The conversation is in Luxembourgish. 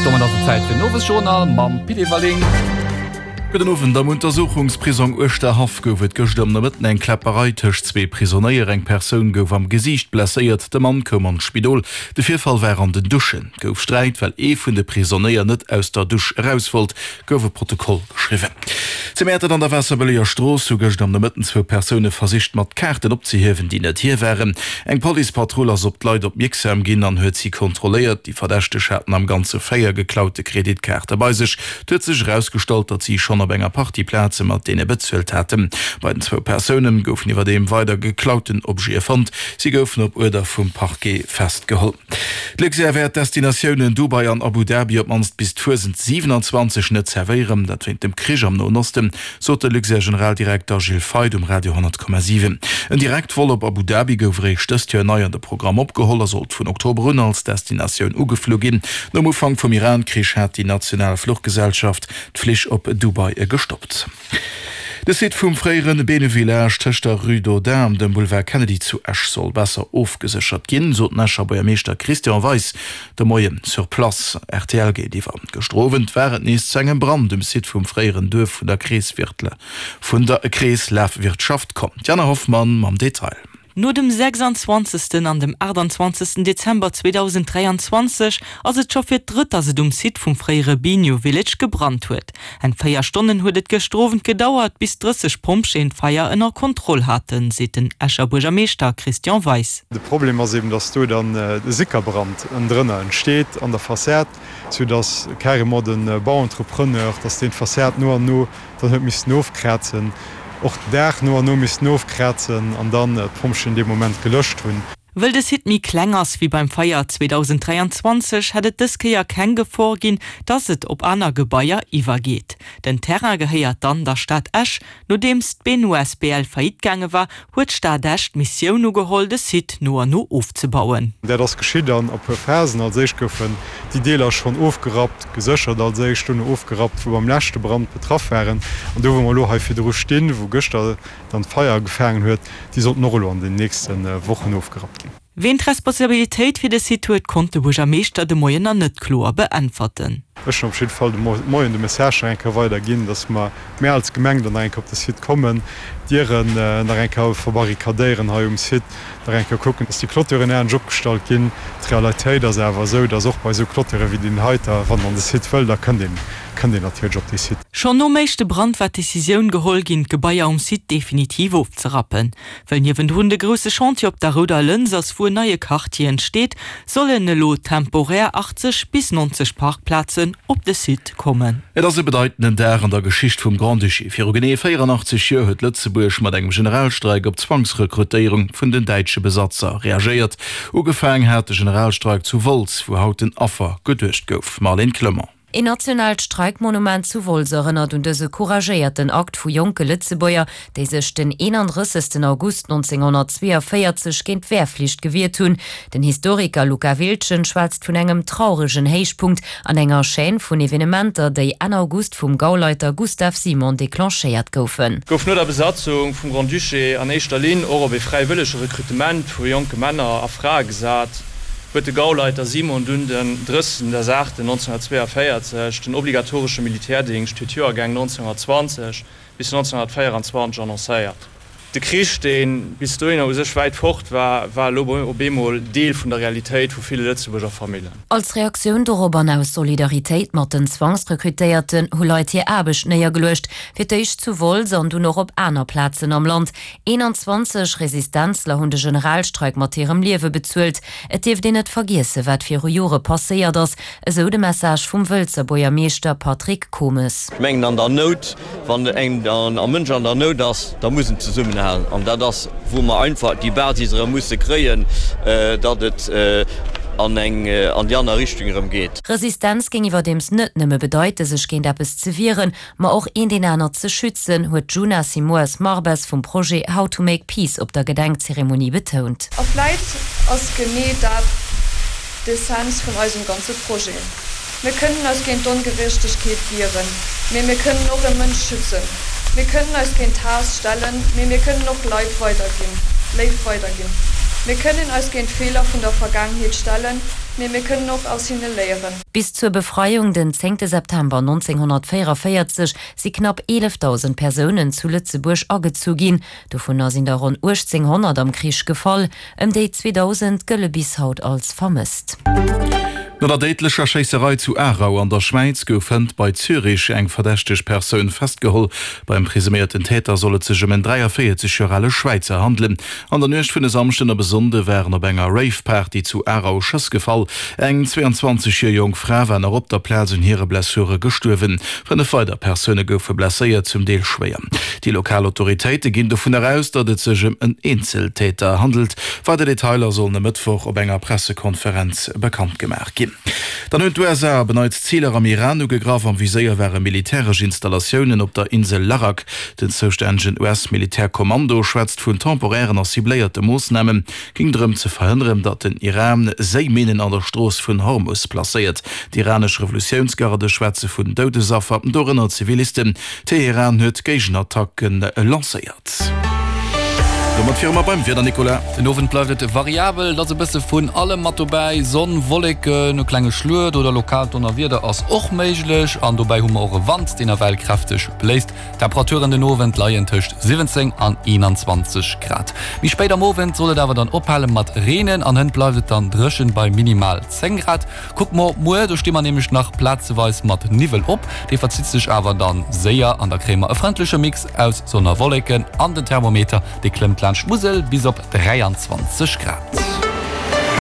Domat ass et Zäit fir den Owesjournal mam Pit Everling. Gudden Owend. Am Untersuchungsprisong Uerschterhaff gouf et gëschter am Nomëtten eng Kläpperei tëscht zwee Prisonéier. Eng Persoun gouf am Gesiicht blesséiert, de Mann koum an d'Spidol. De Virfall war an den Duschen. Et gouf Sträit, well ee vun de Prisonéier net aus der Dusch eraus wollt, gouf e Protokoll geschriwwen. Zu Mäertert an der Waasserbëlleger Strooss hu gëscht am Nomëtten zwou Persoune versicht mat Kaarten opzehiewen, déi net hir waren. Eng Policepatrull ass op d'Leit opmierksam ginn an huet si kontrolléiert. Déi Verdächteg haten am Ganze 4 geklaute Kreditkaarte bei sech. Et huet sech erausgestallt, datt si schonn op enger Partie Plaze mat deene bezuelt haten. Bei den zwou Persoune goufen iwwerdeem weider geklauten Objete fonnt. Si goufen op Uerder vum Parquet festgeholl. D'Luxair wäert d'Destinatiounen Dubai an Abu Dhabi op d'mannst bis d'Fuesent 27 net zerwéieren. Dat wéint dem Krich am Noen Osten, sot de Luxair-Generaldirekter Gilles Feith um Radio 10,7. En Direktvol op Abu Dhabi gouf eréischt dëst Joer nei an de Programm opgeholl a sollt vun Oktober un als Destinatioun ugeflu ginn. Nom Ufank vum Iran-Krich hat déi national Fluchgesellschaft d'Flich op Dubai gestoppt. De Site vum fréiere Benu Village tëscht der Rue d'Audun an dem Boulevard Kennedy zu Esch soll besser ofgeséchert ginn, sot den Escher Buergermeeschter Christian Weis de Moien sur place rtl géintiwwer. Gëschter Owend war et nees zu engem Brand um Site vum fréieren Duerf vun der vun der Kreeslafwirtschaft komm. D'Jana Hoffmann mam Detail. No dem 26 an dem 28 Dezember 2023 ass et scho fir d'drëtt, datt et um Site vum fréiere Bigno Village gebrannt huet. Eng 4 Stonnen huet et gëschter Owend gedauert, bis 30 Pompjeeën d'Feier ënner Kontroll haten, seet den Escher Buergermeeschter Christian Weis. De Problem ass eben, datt do dann e Sickerbrand ënnendrënner entsteet an der Fassad, sou datt carrément de Bauentrepreneur, datt deen d'Fassad no an no Dann huet missten ofkrazen, och den Daach no an no missten ofkrazen an dann d'Pompjeeën dee Moment gelöscht hunn. Wëll de Site méi kleng ass wéi beim Feier 2023, hätt et dës Kéier keng Gefor ginn, dass et op aner Gebaier iwwergeet. Den Terrain gehéiert dann der Stad Esch. Nodeems d'Benu asbl faillite gaange war, huet d'Stad Esch d'Missioun ugeholl, de Site no an no ofzebauen. Dat ass geschitt an a puer Phasen. Als éischt goufen déi Deeler schonn ofgerappt, geséchert als éischt, dono ofgerappt, wou beim leschte Brand betraff waren. An do, wou mer elo hei virdru stinn, wou gëschter dann d'Feier ugefaangen huet, déi sollten och elo an den nächste Wochen ofgerappt ginn. Ween d'Responsabilitéit fir de Site huet, konnt de Buergermeeschter de Moien nach net kloer beäntwerten. Ech hunn op jidde Fall de Moien de Message nach eng Kéier weider ginn, datt mer, mir als Gemeng dann nach eng Kéier op de Site kommen, d'Dieren nach eng Kéier verbarrikadéieren hei um Site, nach eng Kéier kucken, datt déi Clôturen anescht opgestallt ginn. D'Realitéit ass awer esou, datt och bei esou Clôture wéi deenen heiter, wann een an de Site wëll, da kënnt een, kënnt een natierlech op dee Site. Schonn nom éischte Brand war d'Decisioun geholl ginn, d'Gebaier um Site definitiv ofzerappen. Well niewendrun de grousse Chantier op der Rouder Lëns ass, wou en neie Quartier entsteet, sollen elo temporär 80 bis 90 Parkplazen op de Site kommen. Et ass e bedeitenden Dag an der Geschicht vum Grand-Duché. Viru genee 84 Joer huet Lëtzebuerg mat engem Generalstreik op d'Zwangsrekrutéierung vun den däitsche Besatzer reagéiert. Ugefaang hat de Generalstreik zu Wolz, wou haut den Affer geduecht gouf. Marlène Clement. Een nationaalt Streikmonument zu Wolz erënnert un dëse couragéierten Akt vu jonke Lëtzebuerger, déi sech den 31 August 1942 géint d'Wehrflicht gewiert hunn. Den Historiker Luca Wildgen schwätzt vun engem trauregen Héichpunkt an enger Chaîne vun Evenementer, déi Enn August vum Gauleiter Gustav Simon declenchéiert goufen. Gouf no der Besatzung vum Grand-Duché an éischter Linn och op ee fräiwëllege Rekrutement vu jonke Männer a Frae gesat. huet de Gauleiter Simon dunn den 30.08.1942 den obligatoresche Militärdéngscht fir d'Joergäng 1920 bis 1924 annoncéiert. De Krich, dee bis dohinner u sech wäit fort war, war elo op eemol Deel vun der Realitéit vu ville Lëtzebuerger Famillen. Als Reaktioun dorop an aus Solidaritéit mat den Zwangsrekrutéierten hu Leit hir Aarbecht néiergeluecht, fir d'éischt zu Wolz an dunn och op aner Plazen am Land. 21 Resistenzler hunn de Generalstreik mat hirem Liewe bezuelt. Et dierft een net vergiessen, wat viru Jore passéiert ass, esou de Message vum Wëlzer Buergermeeschter Patrick Comes. Ech mengen an der Nout, wann en Mënsch an der Nout ass, da muss en zesummenhalen. An dat ass, wou mer einfach déi Basis erëm musse kréien, datt et an eng an déi aner Richtung erëm geet. Resistenz géing iwwerdeems net nëmme bedeite sech géint eppes ze wieren, Ma och eent een anert ze schützen, huet d'Juna Simoes Marbes vum Projet How to make peace op der Gedenkzeremonie betount. A vläit ass genee dat d'Essenz vun eisem ganze Projet. Mir kënnen eis géint d'Ongerechtegkeet wieren, mee mir kënnen och e Mënsch schützen. Mir kënnen eis géint Haass stellen, mee mir kënnen och Leid weiderginn, Léift weiderginn. Mir kënnen eis géint d'Feeler vun der Vergaangenheet stellen, mee mir kënnen och aus hinne léieren. Bis zur Befreiung den zéngte September 1944 si knapp 11.000 Persounen zu Lëtzebuerg agezu ginn. Dovunner sinn der ronn 1.800 am Krich gefall. Ëm déi 2.000 gëlle bis haut als vermësst. No der déidlecher Schéisserei zu Aarau an der Schwäiz gouf hënt bei Zürich eng verdächteg Persoun festgeholl. Beim presuméierten Täter soll et sech ëm en 43 Joer ale Schwäizer handelen. An der Nuecht vun e Samschden op e Sonnde waren op enger Rave-Party zu Aarau Schëss gefall. Eng 22 Joer jonk Fra war nach op der Plaz un hire Blessure gestuerwen. 5 weider Persoune goufe blesséiert, zum Deel schwéier. Déi lokal Autoritéite ginn dovunner aus, datt et sech ëm en Eenzeltäter handelt. Weider Detailer sollen e Mëttwoch op enger Pressekonferenz bekannt gemaach ginn. Dann hunn d'USA op en Neits Ziler am Iran ugegraff. Am Viséier ware militäresch Installatiounen op der Insel Larak. Den zoustännegen US-Militärkommando schwätzt vun temporären a cibléierte Moossnamen. Géing drëm ze verhënneren, datt den Iran Séiminnen an der Strooss vun Hormus placéiert. D'iranesch Revolutiounsgarde schwätze vun Doudesaffer, dorënner Zivilisten. Teheran huet Géigenattacke lancéiert. Domat wiere mer beim Wieder, Nicolas. Den Owend bleift et variabel, et ass e bësse vun allem mat dobäi, Sonn, Wolleken, e klenge Schluet oder lokaalt Donnerwieder ass och méiglech an dobäi hu mer och e Wand, deen nawell kräfteg bléist. D'Temperaturen den Owend leien tëscht 17 an 21 Grad. Méi spéit am Owend soll et awer dann ophale mat reenen an hënt bleift et dann dréchen bei minimal 10 Grad. Kucke mer op muer, do sti mer nämlech nach plazeweis mat Niwwel op, dee verzitt sech awer dann séier an da kréie mer e frëndleche Mix aus Sonn a Wolleken an den Thermometer dee klëmmt laanscht d'Musel bis op 23 Grad.